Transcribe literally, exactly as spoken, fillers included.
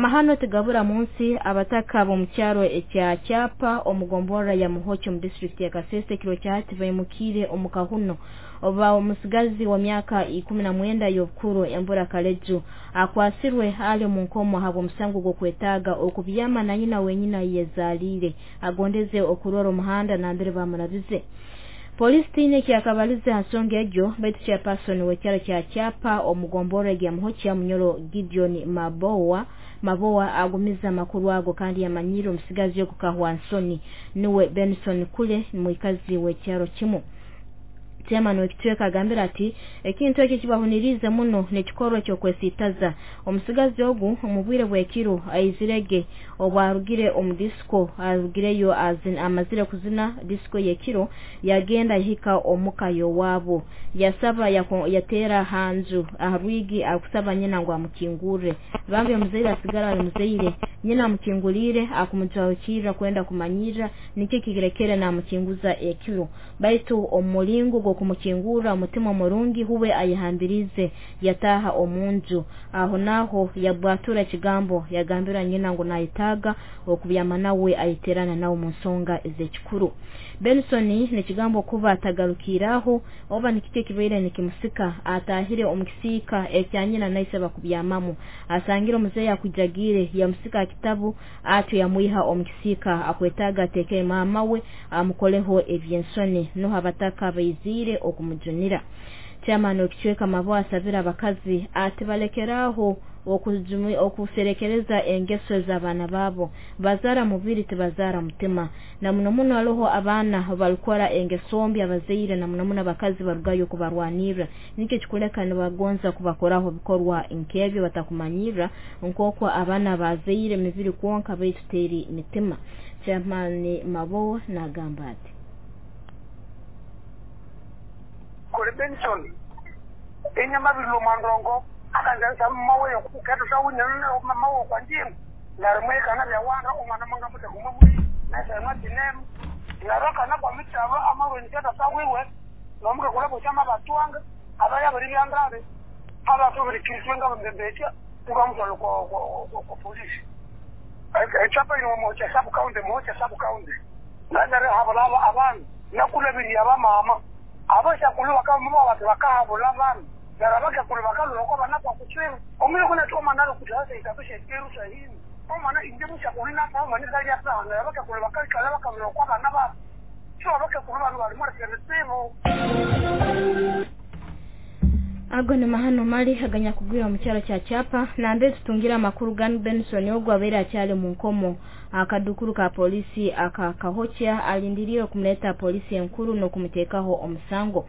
Amahano tigabura munsi. Abataka b'omukyaro ekya Kyapa omugomborra ya Muhoki omu disitulikiti ya Kasese ekiro kya hati baimukiire omu kahuno oba omusigazi wa myaka ikumi na mwenda y'obukuru Embura Kaleju akwasirwe ali omu nkomo habw'omusango gw'okwetaaga okubyama na nyina wenyina yezaaliire agondeze okurora omuhanda nambere bamurabize. Polisi tiine ekyakabalize ha nsonga egyo, baitu chairperson w'ekyaro kya Kyapa omugomborra ya Muhoki Munyoro Gideon Mabowa Mabowa agumiza amakuru ago kandi yamanyire omusigazi ogu kahwa nsoni niwe Benson Kule mwikazi w'ekyaro kimu. Chairman w'ekicweka agambira ati ekintu ekyo kibahuniriize muno n'ekikorwa ekyokwesiitaza. Omusigazi ogu omu bwire bw'ekiro aizirege obwarugire omu disco, arugireyo amazire kuzina disco y'ekiro, yagenda yahika omuka y'owaabo, yasaba yateera hanju aha rwigi akusaba nyina ngu amukingurre. Bambi omuzaire asigara ali muzaire, nyina amukinguliire akumujwahukirra kwenda kumanyirra nikyo kirekere namukinguza ekiro, baitu omu mulingo gw'okumukingurra omutima omurungi huwe ayehambirize yataaha omunju, aho naaho yabwatura ekigambo yagambira nyina ngu nayetaaga okubyama nawe ayeterana nawe mu nsonga ez'ekikuru. Benson nekigambo kuba atagarukiiraho oba nikiki ekibaire nikimusika, atahire omu kisiika ekya nyina naise bakubyamamu, asangire omuzeeyi akujagiire yamusika akitabu atyo yamwiha omu kisiika akwetaaga ateekere maama we amukoleho eby'ensoni, nuho abataka baiziire okumujunira. Chairman w'ekicweka Mabo asabira abakazi ati balekeraaho okuserekereza engeso z'abaana baabo, bazaara mubiri tibazaara mutima, na muno muno haroho abaana barukora engeso mbi abazaire na muno muno abakazi barugayo kubarwanirra, nikyo kikuleka nibagonza kubakoraho bikorwa nk'ebyo batakumanyirra nk'oku abaana bazaire mibiri kwonka baitu teri mitima. Chairman Mabo nagamba ati Kole Benson enyama bilo mandongo akanza mawe yokuketo sawunya mawe kwanjingu narimwe kana byawana omwana manga mute kumwe nasa matinem naroka na kwa mitabo amawe nketa sawiwe nomuka kulabo chama batwanga abaya bali byandare abathu bali kiriswenga bambembecha tukamutwala kwa kwa polisi echapa ino mocha sabu county mocha sabu county nazare habalaba abantu nakulabiri abamama abasha kulu bakama abantu bakahabula abantu narabaka kulu bakalo lokho banakwa kutswela omunye kuna thoma nalo kudlala itabishe iru sahini omwana inje mushakulina thoma ni kalya sana rabaka kulu bakala bakamlo kwa bana ba so baka kulu banu bali mara keretsemo. Ago ni mahano mali haganya kugwira mu kyalo kya Kyapa nambe tutungira amakuru gan Benson ogwo abeera akyali mu nkomo akadukuru ka polisi aka Kahocha alindiriye okumuleta polisi enkuru n'okumuteekaho omusango.